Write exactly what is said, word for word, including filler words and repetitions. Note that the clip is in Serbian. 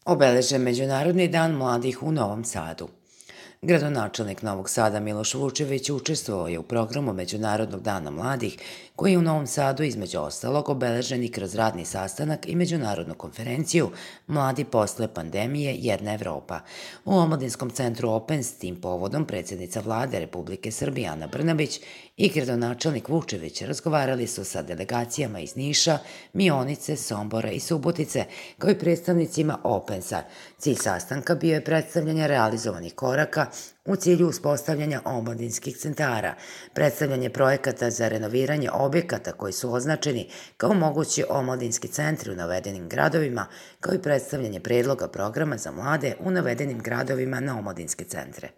Obeležen Međunarodni dan mladih u Novom Sadu. Gradonačelnik Novog Sada Miloš Vučević učestvovao je u programu Međunarodnog dana mladih, koji je u Novom Sadu između ostalog obeležen i kroz radni sastanak i međunarodnu konferenciju Mladi posle pandemije Jedna Evropa. U Omladinskom centru Open s tim povodom predsjednica vlade Republike Srbije Ana Brnabić i gradonačelnik Vučević razgovarali su sa delegacijama iz Niša, Mionice, Sombora i Subotice, kao i predstavnicima Opensa. Cilj sastanka bio je predstavljanje realizovanih koraka u cilju uspostavljanja omladinskih centara, predstavljanje projekata za renoviranje objekata koji su označeni kao mogući omladinski centri u navedenim gradovima, kao i predstavljanje predloga programa za mlade u navedenim gradovima na omladinske centre.